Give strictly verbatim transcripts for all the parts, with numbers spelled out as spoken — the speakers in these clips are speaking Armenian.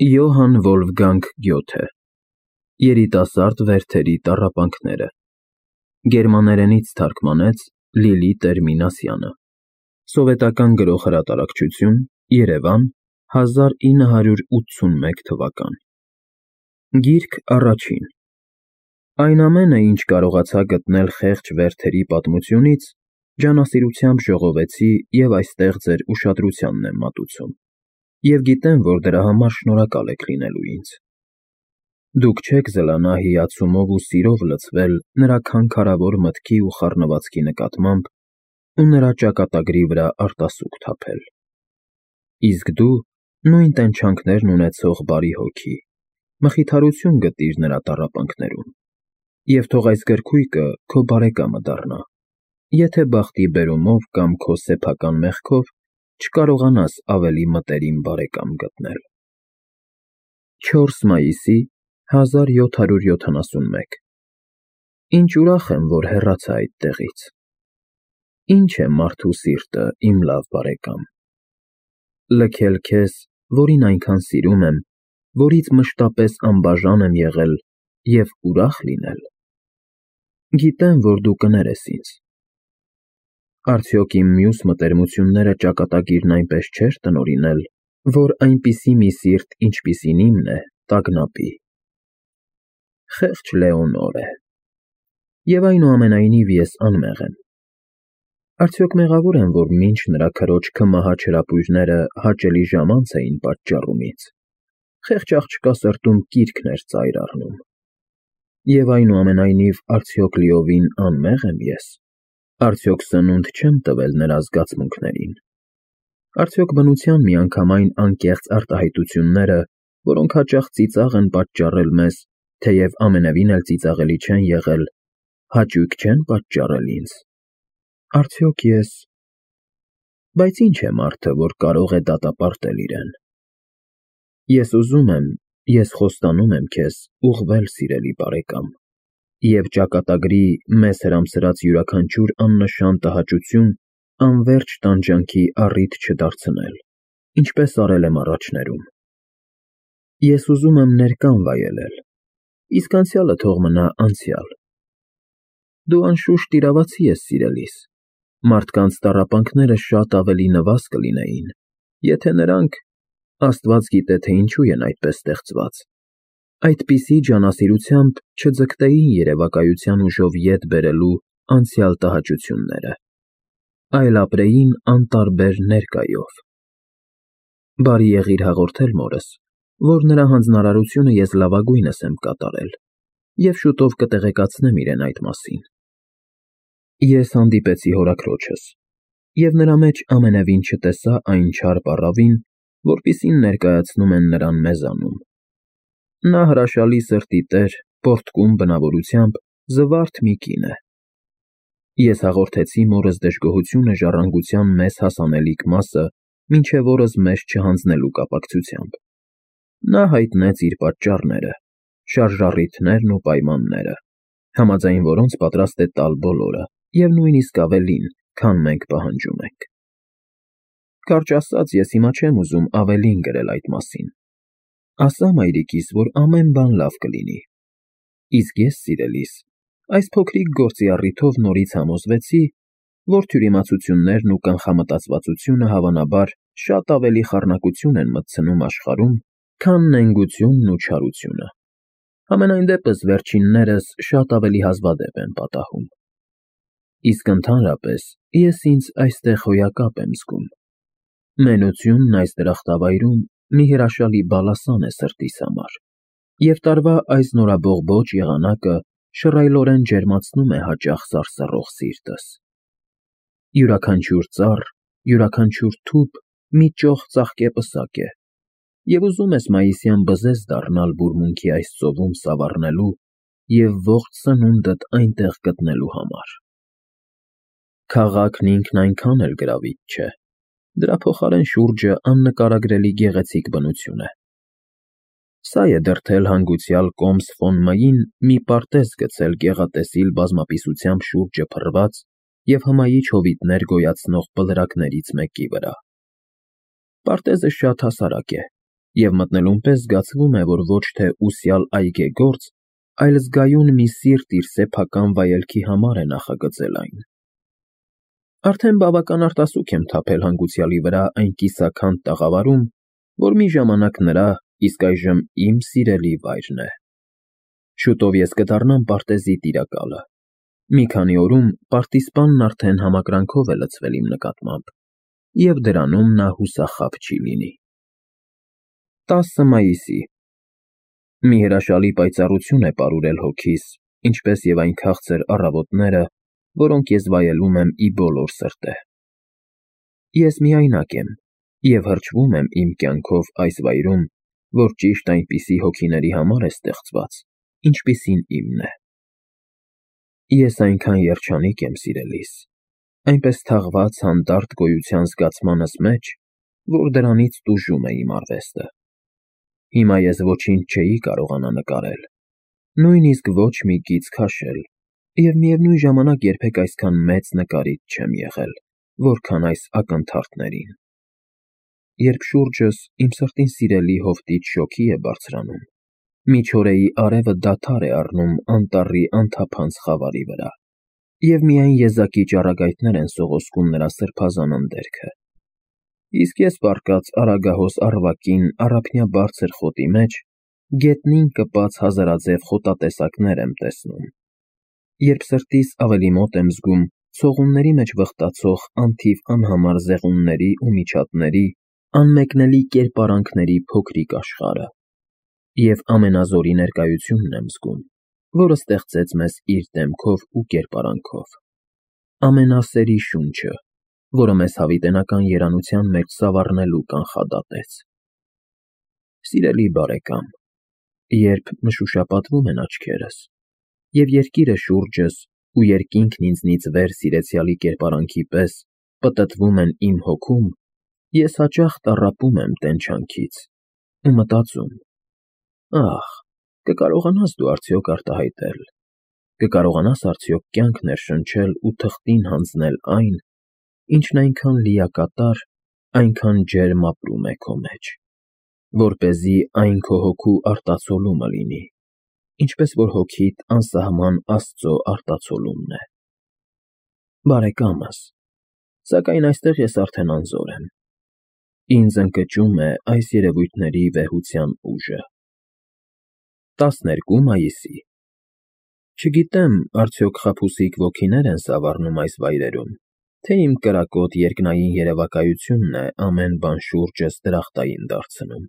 Յոհան Վոլֆգանգ Գյոթե Երիտասարդ վերթերի տառապանքները Գերմաներենից թարգմանեց Լիլիթ Էրմինասյանը Սովետական Գրող Հրատարակչություն Երևան հազար ինը հարյուր ութսունմեկ թվական Գիրք առաջին Այն ամենը, ինչ կարողացա գտնել խեղճ վերթերի պատմությունից, ջանասիրությամբ ժողովեցի և այստեղ ձեր ուշադրությանն եմ մատուցում, և գիտեմ, որ դրա համար շնորհակալ եք լինելու ինձ: Դուք չեք զլանա հիացումով ու սիրով լցվել նրա քանքարավոր մտքի ու խառնվածքի նկատմամբ ու նրա ճակատագրի վրա արտասուք թափել: Իսկ դու նույն տենչանքներն ունեցող բարի հոգի, մխիթարություն գտիր նրա տառապանքներում և թող այս գրքույկը քո բարեկամը դառնա, եթե բախտի բերումով կամ քո սեփական մեղքով չկարողանաս ավելի մտերիմ բարեկամ գտնել: չորս մայիսի հազար յոթ հարյուր յոթանասունմեկ Ինչ ուրախ եմ, որ հեռացա այդ տեղից: Ինչ է մարդու սիրտը, իմ լավ բարեկամ: Լքել քեզ, որին այնքան սիրում եմ, որից մշտապես անբաժան եմ եղել և ուրախ լինել: Գիտեմ, որ դու կներես ինձ: Արդյոք իմ մյուս մտերմությունները ճակատագիրն այնպես չէր տնօրինել, որ այնպիսի մի սիրտ, ինչպիսին իմն է, տագնապի: Խեղճ Լեոնոր է: Եվ այնուամենայնիվ ես անմեղ եմ: Արդյոք մեղավո՞ր եմ, որ մինչ նրա քրոջ քմահաճ հրապույրները հաճելի ժամանց էին պատճառում ինձ, խեղճ աղջկա սրտում կիրքն էր ծայր առնում: Եվ այնուամենայնիվ արդյոք լիովին անմե՞ղ եմ ես: Արդյոք սնունդ չեմ տվել նրա զգացմունքներին: Արդյոք բնության միանգամայն անկեղծ արտահայտությունները, որոնք հաճախ ծիծաղ են պատճառել մեզ, թեև ամենևին էլ ծիծաղելի չեն եղել, հաճույք չեն պատճառել ինձ: Արդյոք ես… Բայց ի՞նչ է մարդը, որ կարող է դատապարտել իրեն: Ես ուզում եմ, ես խոստանում եմ քեզ ուղղվել, սիրելի բարեկամ, և ճակատագրի մեզ հրամսրած յուրաքանչյուր աննշան տհաճություն անվերջ տանջանքի առիթ չդարձնել, ինչպես արել եմ առաջներում: Ես ուզում եմ ներկան վայելել, իսկ անցյալը թող մնա անցյալ: Դու անշուշտ իրավացի ես, սիրելիս, մարդկանց տառապանքները շատ ավելի նվազ կլինեին, եթե նրանք, Աստված գիտե, թե ինչու են այդպես ստեղծված, այդպիսի ջանասիրությամբ չձգտեին երևակայության ուժով ետ բերելու անցյալ տհաճությունները, այլ ապրեին անտարբեր ներկայով: Բարի եղիր հաղորդել մորս, որ նրա հանձնարարությունը ես լավագույնս եմ կատարել և շուտով կտեղեկացնեմ իրեն այդ մասին: Ես հանդիպեցի հորաքրոջս և նրա մեջ ամենևին չտեսա այն չար պառավին, որպիսին ներկայացնում են նրան մեզանում: Նա հրաշալի սրտի տեր, պոռթկում բնավորությամբ, զվարթ մի կին է: Ես հաղորդեցի մորս դժգոհությունը ժառանգության մեզ հասանելիք մասը մինչև օրս մեզ չհանձնելու կապակցությամբ: Նա հայտնեց իր պատճառները, շարժառիթներն ու պայմանները, համաձայն որոնց պատրաստ է տալ բոլորը և նույնիսկ ավելին, քան մենք պահանջում ենք: Կարճ ասած, ես հիմա չեմ ուզում ավելին գրել այդ մասին: Ասա մայրիկիս, որ ամեն բան լավ կլինի: Իսկ ես, սիրելիս, այս փոքրիկ գործի առիթով նորից համոզվեցի, որ թյուրիմացություններն ու կանխամտածվածությունը հավանաբար շատ ավելի խառնակություն են մտցնում աշխարհում, քան նենգությունն ու չարությունը: Համենայն դեպս վերջիններս շատ ավելի հազվադեպ են պատահում: Իսկ ընդհանրապես ես ինձ այստեղ հոյակապ եմ զգում: Մենությունն այս դրախտավայրում մի հրաշալի բալասան է սրտիս համար և տարվա այս նորաբողբոջ եղանակը շռայլորեն ջերմացնում է հաճախ սարսռող սիրտս: Յուրաքանչյուր ծառ, յուրաքանչյուր թուփ մի ճոխ ծաղկե պսակ է և ուզում ես մայիսյան բզեզ դառնալ բուրմունքի այս ծովում սավառնելու և ողջ սնունդդ այնտեղ գտնելու համար: Քաղաքն ինքն այնքան էլ գրավիչ չէ, դրա փոխարեն շուրջը աննկարագրելի գեղեցիկ բնություն է: Սա է դրդել հանգուցյալ կոմս ֆոն Մ֊ին մի պարտեզ գցել գեղատեսիլ բազմապիսությամբ շուրջը փռված և հմայիչ հովիտներ գոյացնող բլրակներից մեկի վրա: Պարտեզը շատ հասարակ է Եվ մտնելուն պես զգացվում է, որ ոչ թե ուսյալ այգեգործ, այլ զգայուն մի սիրտ իր սեփական վայելքի համար է նախագծել այն։ Արդեն բավական արտասուք եմ թափել հանգուցյալի վրա այն կիսաքանդ տաղավարում, որ մի ժամանակ նրա, իսկ այժմ իմ սիրելի վայրն է։ Շուտով ես կդառնամ պարտեզի տիրակալը։ Մի քանի օրում պարտիզպանն արդեն համակրանքով է լցվել իմ նկատմամբ, և դրանում նա հուսախաբ չի լինի։ տասը մայիսի Մի հրաշալի պայծառություն է պարուրել հոգիս, ինչպես և այն քաղցր առավոտները, որոնք ես վայելում եմ ի բոլոր սրտե։ Ես միայնակ եմ և հրճվում եմ իմ կյանքով այս վայրում, որ ճիշտ այնպիսի հոգիների համար է ստեղծված, ինչպիսին իմն է։ Ես այնքան երջանիկ եմ, սիրելիս, այնպես թաղված հանդարտ գոյության զգացմանս մեջ, որ դրանից տուժում է իմ արվեստը։ Հիմա ես ոչինչ չէի կարողանա նկարել, նույնիսկ ոչ մի գիծ քաշել, և միևնույն ժամանակ երբեք այսքան մեծ նկարիչ չեմ եղել, որքան այս ակնթարթներին։ Երբ շուրջս իմ սրտին սիրելի հովտիչ շոգի է բարձրանում, միջօրեի արևը դադար է առնում անտառի անթափանց խավարի վրա, և միայն եզակի ճառագայթներ են սողոսկում նրա սրբազան ընդերքը, իսկ ես պառկած Արագահոս առվակին առափնյա բարձր խոտի մեջ գետնին կպած հազարաձև խոտատեսակներ եմ տեսնում, երբ սրտիս ավելի մոտ եմ զգում ցողունների մեջ վխտացող անթիվ անհամար զեղունների ու միջատների, անմեկնելի կերպարանքների փոքրիկ աշխարհը, և ամենազորի ներկայությունն եմ զգում, որը ստեղծեց մեզ իր դեմքով ու կերպարանքով, ամենասերի շունչը, որը մեզ հավիտենական երանության մեջ սավառնելու կանխադատեց։ Սիրելի բարեկամ, երբ մշուշապատվում են աչքերս, և երկիրը շուրջս ու երկինքն ինձնից վեր սիրեցյալի կերպարանքի պես պտտվում են իմ հոգում, ես հաճախ տառապում եմ տենչանքից ու մտածում. ահ, կկարողանա՞ս դու արդյոք արտահայտել, կկարողանա՞ս արդյոք կյանք ներշնչել ու թղթին հանձնել այն, ինչն այնքան լիակատար, այնքան ջերմ ապրում է քո մեջ, որպեսզի այն քո հոգու արտացոլումը լինի, ինչպես որ հոգիդ անսահման Աստծո արտացոլումն է։ Բարեկամս, սակայն այստեղ ես արդեն անզոր եմ։ Ինձ ընկճում է այս երևույթների վեհության ուժը։ տասներկու մայիսի Չգիտեմ, արդյոք խաբուսիկ ոգիներ են սավառնում այս վայրերում, թե իմ կրակոտ երկնային երևակայությունն է ամեն բան շուրջս դրախտային դարձնում։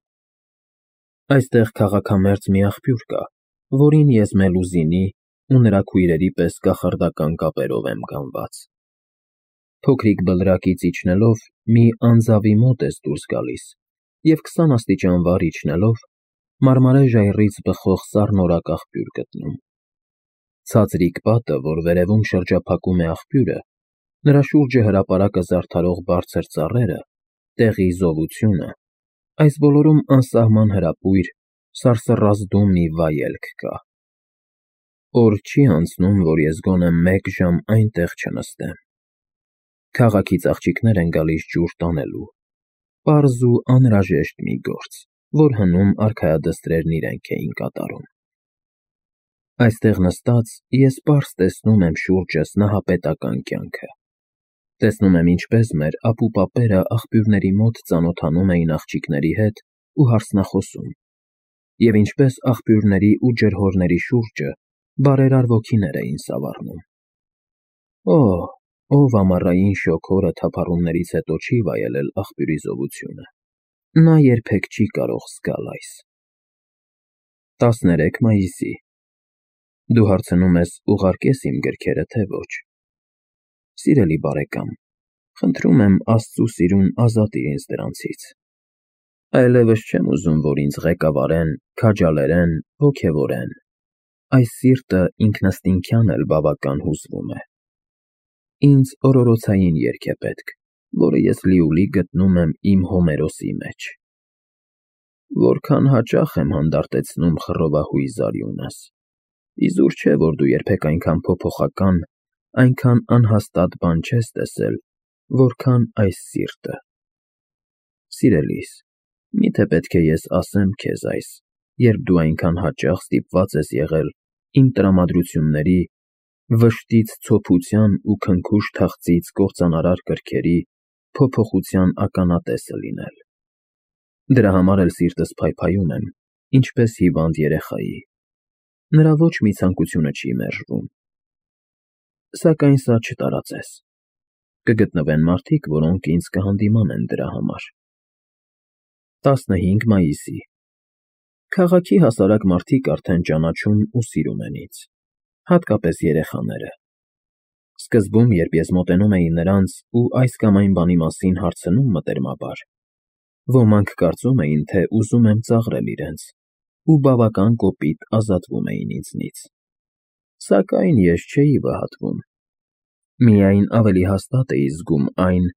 Այստեղ քաղաքամերձ մի աղբյուր կա, որին ես Մելուզինի ու նրա քույրերի պես կախարդական կապերով եմ գանված։ Փոքրիկ բլրակից իջնելով մի անձավի մոտ ես դուրս գալիս, և քսան աստիճան վար իջնելով մարմարե ժայռից բխող սառնորակ աղբյուր գտնում։ Ցածրիկ պատը, որ վերևում շրջափակում է աղբյուրը, նրա շուրջը հրապարակը զարդարող բարձր ծառերը, տեղի զովությունը, այս բոլորում անսահման հրապույր, սարսռազդու մի վայելք կա։ Օր չի անցնում, որ ես գոնե մեկ ժամ այնտեղ չնստեմ։ Քաղաքից աղջիկներ են գալիս ջուր տանելու, պարզ ու անհրաժեշտ մի գործ, որ հնում արքայադստրերն իրենք էին կատարում։ Այստեղ նստած ես պարզ տեսնում եմ շուրջս նահապետական կյանքը։ Տեսնում եմ, ինչպես մեր ապուպապերը աղբյուրների մոտ ծանոթանում էին աղջիկների հետ ու հարցնախոսում, և ինչպես աղբյուրների ու ջրհորների շուրջը բարերար ոգիներ էին սավառնում։ Օ, ով ամառային շոգ օրը թափառումներից հետո չի վայելել աղբյուրի զովությունը, նա երբեք չի կարող զգալ այս։ տասներեք մայիսի Դու հարցնում ես ուղարկե՞ս իմ գրքերը, թե ոչ։ Սիրելի բարեկամ, խնդրում եմ Աստծու սիրուն ազատիր ինձ դրանցից։ Այլևս չեմ ուզում, որ ինձ ղեկավարեն, քաջալերեն, ոգևորեն։ Այս սիրտը ինքնըստինքյան էլ բավական հուզվում է։ Ինձ օրորոցային երգ է պետք, որը ես լիովին գտնում եմ իմ Հոմերոսի մեջ։ Որքան հաճախ եմ հանդարտեցնում խռովահույզ արյունս, իզուր չէ, որ դու երբեք այնքան փոփոխական, այնքան անհաստատ բան չես տեսել, որքան այս սիրտը։ Սիրելիս, Միթե պետք է ես ասեմ քեզ այս, երբ դու այնքան հաճախ ստիպված ես եղել իմ տրամադրությունների, վշտից ցոփության ու քնքուշ թախծից կործանարար կրքերի փոփոխության ականատեսը լինել։ Դրա համար էլ սիրտս փայփայում եմ, ինչպես հիվանդ երեխայի։ Նրա ոչ մի ցանկությունը չի մերժվում։ Սակայն սա չտարածես։ Կգտնվեն մարդիկ, որոնք ինձ կհանդիմանեն դրա համար։ տասնհինգ մայիսի Քաղաքի հասարակ մարդիկ արդեն ճանաչում ու սիրում են ինձ, հատկապես երեխաները։ Սկզբում, երբ ես մոտենում էի նրանց ու այս կամ այն բանի մասին հարցնում մտերմաբար, ոմանք կարծում էին, թե ուզում եմ ծաղրել իրենց ու բավական կոպիտ ազատվում էին ինձնից։ Սակայն ես չէի վհատվում։ Միայն ավելի հաստատ էի զգում այն,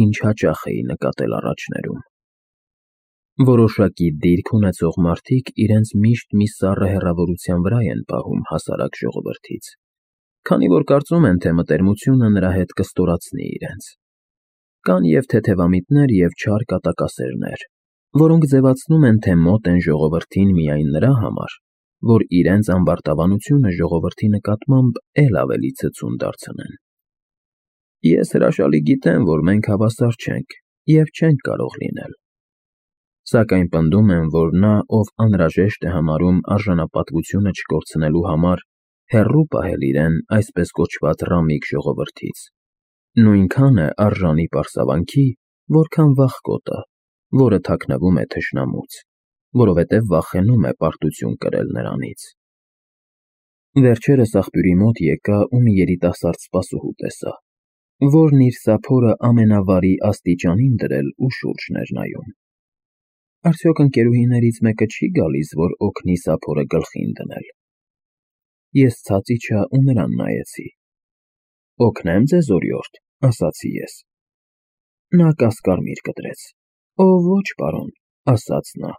ինչ հաճախ էի նկատել առաջներում։ Որոշակի դիրք ունեցող մարդիկ իրենց միշտ մի սառը հեռավորության վրա են պահում հասարակ ժողովրդից, քանի որ կարծում են, թե մտերմությունը նրա հետ կստորացնի իրենց։ Կան և թեթևամիտներ, և չար կատակասերներ, որոնք ձևացնում են, թե մոտ են ժողովրդին միայն նրա համար, որ իրենց ամբարտավանությունը ժողովրդի նկատմամբ էլ ավելի ցցուն դարձնեն։ Ես հրաշալի գիտեմ, որ մենք հավասար չենք և չենք կարող լինել։ Սակայն պնդում եմ, որ նա, ով անհրաժեշտ է համարում արժանապատվությունը չկորցնելու համար հեռու պահել իրեն այսպես կոչված ռամիկ ժողովրդից, նույնքան է արժանի պարսավանքի, որքան վախկոտը, որը թաքնվում է թշնամուց, որովհետև վախենում է պարտություն կրել նրանից։ Վերջերս աղբյուրի մոտ եկա ու մի երիտասարդ սպասուհու տեսա, որն իր սափորը ամենավարի աստիճանին դրել ու շուրջն էր նայում։ Արդյոք ընկերուհիներից մեկը չի գալիս, որ օգնի սափորը գլխին դնել։ Ես ցած իջա ու նրան նայեցի։ Օգնե՞մ ձեզ, օրիորդ, ասացի ես։ Նա կասկարմիր կտրեց։ Օ, ոչ, պարոն, ասաց նա։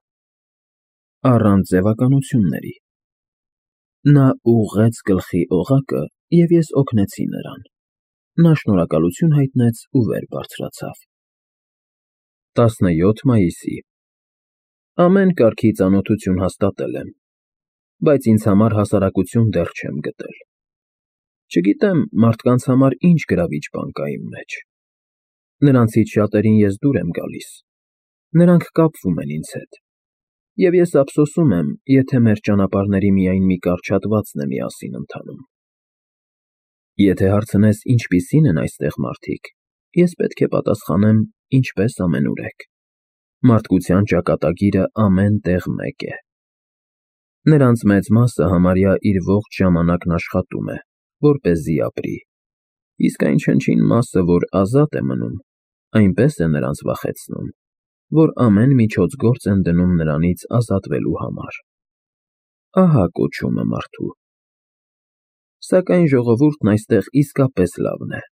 Առանց ձևականությունների։ Նա ուղղեց գլխի օղակը, և ես օգնեցի նրան։ Նա շնորհակալություն հայտնեց ու վեր բարձրացավ։ տասնյոթ մայիսի Ամեն կարգի ծանոթություն հաստատել եմ, բայց ինձ համար հասարակություն դեռ չեմ գտել։ Չգիտեմ, մարդկանց համար ինչ գրավիչ բան կա իմ մեջ։ Նրանցից շատերին ես դուր եմ գալիս։ Նրանք կապվում են ինձ հետ։ Եվ ես ափսոսում եմ, եթե մեր ճանապարհների միայն մի կարճ հատվածն է միասին ընթանում։ Եթե հարցնես, ինչպիսի՞ն են այստեղ մարդիկ, ես պետք է պատասխանեմ, ինչպես ամենուրեք։ Մարդկության ճակատագիրը ամեն տեղ մեկ է։ Նրանց մեծ մասը համարյա իր ողջ ժամանակն աշխատում է, որպեսզի ապրի, իսկ այն չնչին մասը, որ ազատ է մնում, այնպես է նրանց վախեցնում, որ ամեն միջոցգործ են դնում նրանից ազատվելու համար։ Ահա կոչումը մարդու։ Սակայն ժողովուրդն այստեղ իսկապես լավն է,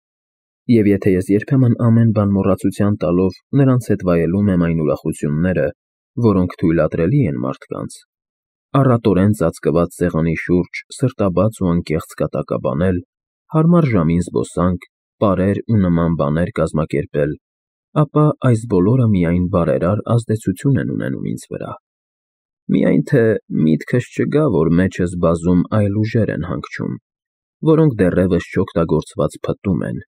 և եթե ես երբեմն ամեն բան մոռացության տալով նրանց հետ վայելում եմ այն ուրախությունները, որոնք թույլատրելի են մարդկանց, առատորեն ծածկված սեղանի շուրջ սրտաբաց ու անկեղծ կատակաբանել, հարմար ժամին զբոսանք, պարեր ու նման բաներ կազմակերպել, ապա այս բոլորը միայն բարերար ազդեցություն են ունենում ինձ վրա։ Միայն թե միտքս չգա, որ մեջս բազում այլ ուժեր են հանգչում, որոնք դեռևս չօգտագործված փտտում են,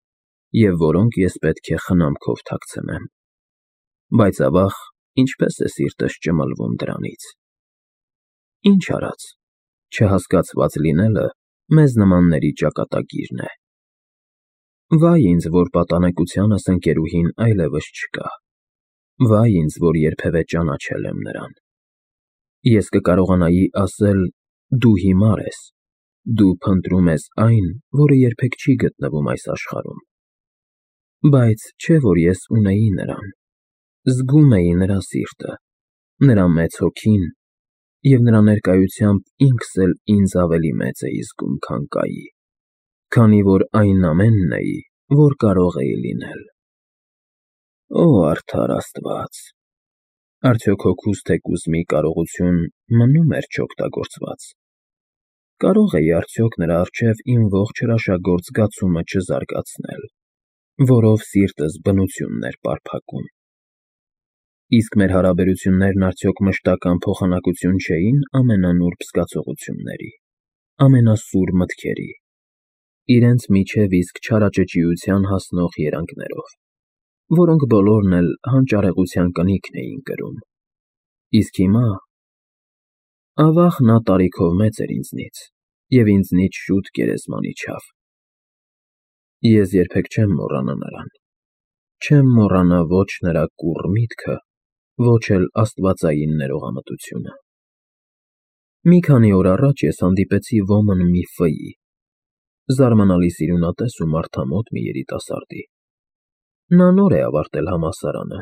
և որոնք ես պետք է խնամքով թաքցնեմ։ Բայց ավաղ, ինչպես է սիրտս ճմլվում դրանից։ Ինչ արած, չհասկացված լինելը մեզ նմանների ճակատագիրն է։ Վայ ինձ, որ պատանեկությանս ընկերուհին այլևս չկա։ Վայ ինձ, որ երբևէ ճանաչել եմ նրան։ Ես կկարողանայի ասել. դու հիմար ես, դու փնտրում ես այն, որը երբեք չի գտնվում այս աշխարհում։ Բայց չէ՞ որ ես ունեի նրան, զգում էի նրա սիրտը, նրա մեծ հոգին, և նրա ներկայությամբ ինքս էլ ինձ ավելի մեծ էի զգում, քան կայի, քանի որ այն ամենն էի, որ կարող էի լինել։ Օ, արդար Աստված, արդյոք հոգուս թեկուզ մի կարողություն մնում էր չօգտագործված։ Կարո՞ղ էի արդյոք նրա առջև իմ ողջ հրաշագործ զգացումը չզարգացնել, որով սիրտս բնությունն էր պարփակում։ Իսկ մեր հարաբերություններն արդյոք մշտական փոխանակություն չէին ամենանուրբ զգացողությունների, ամենասուր մտքերի, իրենց միջև իսկ չարաճճիության հասնող երանգներով, որոնք բոլորն էլ հանճարեղության կնիքն էին կրում։ Իսկ հիմա… Ավաղ նա տարիքով մեծ էր ինձնից, և ինձնից շուտ գերեզման իջավ։ Ես երբեք չեմ մոռանա նրան, չեմ մոռանա ոչ նրա կուռ միտքը, ոչ էլ աստվածային ներողամտությունը։ Մի քանի օր առաջ ես հանդիպեցի ոմն մի ֆ֊ի, զարմանալի սիրունատես ու մարդամոտ մի երիտասարդի։ Նա նոր է ավարտել համալսարանը,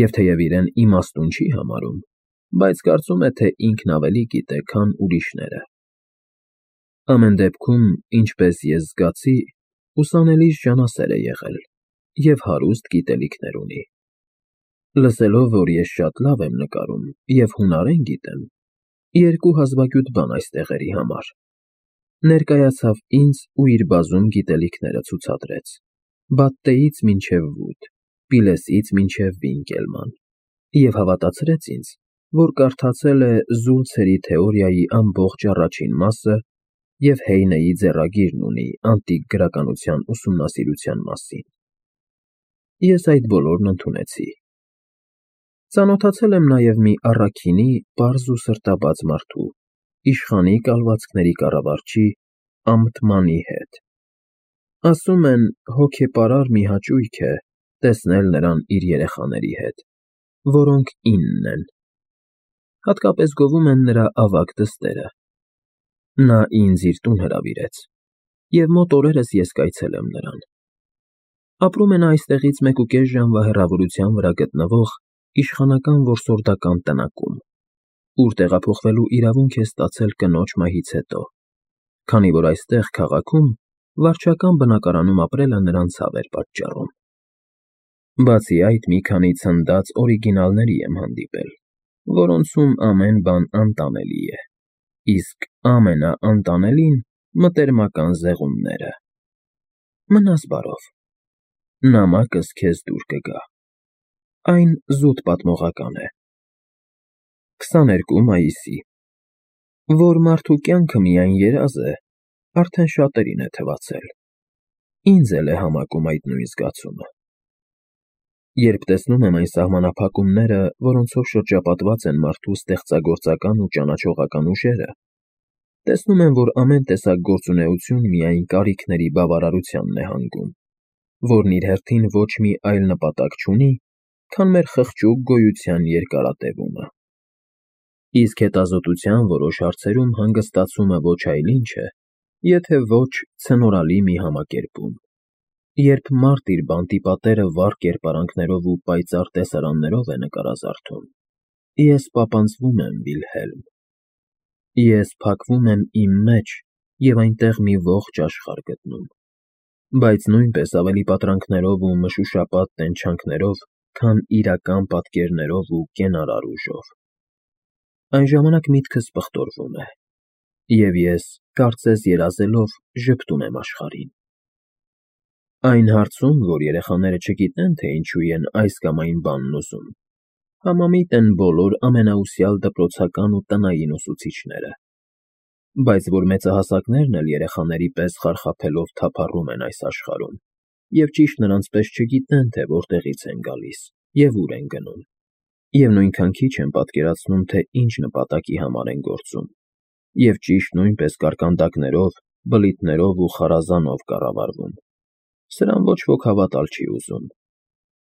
և թեև իրեն իմաստուն չի համարում, բայց կարծում է, թե ինքն ավելի գիտե, քան ուրիշները։ Ամեն դեպքում, ինչպես ես զգացի, ուսանելիս ջանասեր է եղել և հարուստ գիտելիքներ ունի։ Լսելով, որ ես շատ լավ եմ նկարում և հունարեն գիտեմ, երկու հազվագյուտ բան այս տեղերի համար, ներկայացավ ինձ ու իր բազում գիտելիքները ցուցադրեց՝ Բատտեից մինչև Վուդ, Պիլեսից մինչև Վինկելման, և հավատացրեց ինձ, որ կարդացել է Զուլցերի թեորիայի ամբողջ առաջին մասը և Հեյնեի ձեռագիրն ունի անտիկ գրականության ուսումնասիրության մասին։ Ես այդ բոլորն ընդունեցի։ Ծանոթացել եմ նաև մի առաքինի պարզ ու սրտաբաց մարդու, իշխանի կալվածքների կառավարչի Ամթմանի հետ։ Ասում են, հոգեպարար մի հաճույք է տեսնել նրան իր երեխաների հետ, որոնք իննն են։ Հատկապես գովում են նրա ավագ դստերը։ Նա ինձ իր տուն հրավիրեց, և մոտ օրերս ես կայցելեմ նրան։ Ապրում է նա այստեղից մեկուկես ժամվա հեռավորության վրա գտնվող իշխանական որսորդական տնակում, ուր տեղափոխվելու իրավունք է ստացել կնոջ մահից հետո, քանի որ այստեղ, քաղաքում, վարչական բնակարանում ապրելը նրան ցավ էր պատճառում։ Բացի այդ, մի քանի ցնդած օրիգինալների եմ հանդիպել, որոնցում ամեն բան անտանելի է, իսկ ամենաանտանելին մտերմական զեղումները։ Մնաս բարով, նամակս քեզ դուր կգա։ Այն զուտ պատմողական է։ քսաներկու մայիսի Որ մարդու կյանքը միայն երազ է, արդեն շատերին է թվացել, ինձ էլ է համակում այդ նույն զգացումը։ Երբ տեսնում եմ այն սահմանափակումները, որոնցով շրջապատված են մարդու ստեղծագործական ու ճանաչողական ուժերը, տեսնում եմ, որ ամեն տեսակ գործունեություն միայն կարիքների բավարարությանն է հանգում, որն իր հերթին ոչ մի այլ նպատակ չունի, քան մեր խղճուկ գոյության երկարատևումը։ Իսկ հետազոտության որոշ հարցերում հանգստացումը ոչ այլ ինչ է, եթե ոչ ցնորալի մի համակերպում, երբ մարդ իր բանտի պատերը վառ կերպարանքներով ու պայծառ տեսարաններով է նկարազարդում, ես պապանձվում եմ, Վիլհելմ, ես փակվում եմ իմ մեջ և այնտեղ մի ողջ աշխարհ գտնում, բայց նույնպես ավելի պատրանքներով ու մշուշապատ տենչանքներով, քան իրական պատկերներով ու կենարար ուժով։ Այն ժամանակ միտքս պղտորվում է, և ես, կարծես երազելով, ժպտում եմ աշխարհին։ Այն հարցում, որ երեխաները չգիտեն, թե ինչու են այս կամ այն բանն ուզում, համամիտ են բոլոր ամենաուսյալ դպրոցական ու տնային ուսուցիչները, բայց որ մեծահասակներն էլ երեխաների պես խարխափելով թափառում են այս աշխարհում, և ճիշտ նրանց պես չգիտեն, թե որտեղից են գալիս և ուր են գնում, և նույնքան քիչ են պատկերացնում, թե ինչ նպատակի համար են գործում, և ճիշտ նույնպես կարկանդակներով, բլիթներով ու խարազանով կառավարվում, սրան ոչ ոք հավատալ չի ուզում,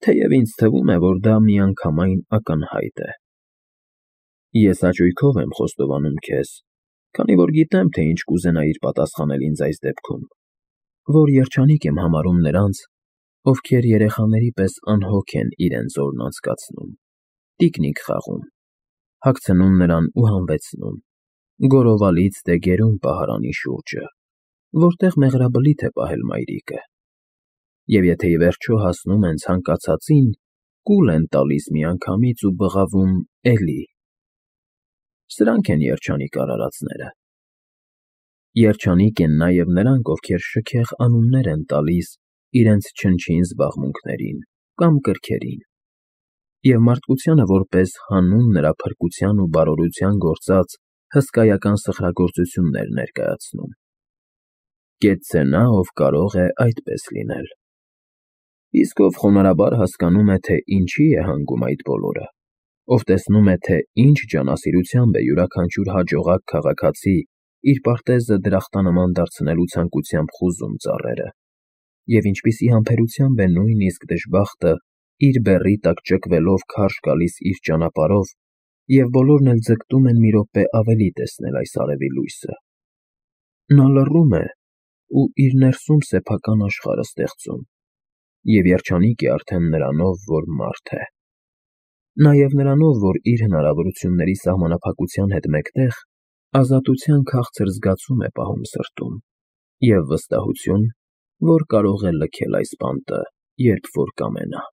թեև ինձ թվում է, որ դա միանգամայն ակնհայտ է։ Ես հաճույքով եմ խոստովանում քեզ, քանի որ գիտեմ, թե ինչ կուզենայիր պատասխանել ինձ այս դեպքում, որ երջանիկ եմ համարում նրանց, ովքեր երեխաների պես անհոգ են իրենց օրն անցկացնում, տիկնիկ խաղում, հագցնում նրան ու հանվեցնում, գորովալից դե գերուն պահարանի շուրջը, որտեղ մեղրաբլիթ է պահել մայրիկը, և եթե ի վերջո հասնում են ցանկացածին, կուլ են տալիս միանգամից ու բղավում էլի։ Սրանք են երջանիկ արարածները։ Երջանիկ են նաև նրանք, ովքեր շքեղ անուններ են տալիս իրենց չնչին զբաղմունքներին կամ կրքերին, և մարդկությանը որպես հանուն նրա փրկության ու բարօրության գործած հսկայական սխրագործություններ ներկայացնում։ Կեցցե նա, ով կարող է այդպես լինել։ Իսկ ով խոնարհաբար հասկանում է, թե ինչի է հանգում այդ բոլորը, ով տեսնում է, թե ինչ ջանասիրությամբ է յուրաքանչյուր հաջողակ քաղաքացի իր պարտեզը դրախտանման դարձնելու ցանկությամբ խուզում ծառերը, և ինչպիսի համբերությամբ է նույնիսկ դժբախտը իր բեռի տակ ճկվելով քարշ գալիս իր ճանապարհով, և բոլորն էլ ձգտում են մի րոպե ավելի տեսնել այս արևի լույսը, նա լռում է ու իր ներսում սեփական աշխարհ է ստեղծում, և երջանիկ է արդեն նրանով, որ մարդ է, նաև նրանով, որ իր հնարավորությունների սահմանափակության հետ մեկտեղ ազատության քաղցր զգացում է պահում սրտում և վստահություն, որ կարող է լքել այս բանտը, երբ որ կամենա։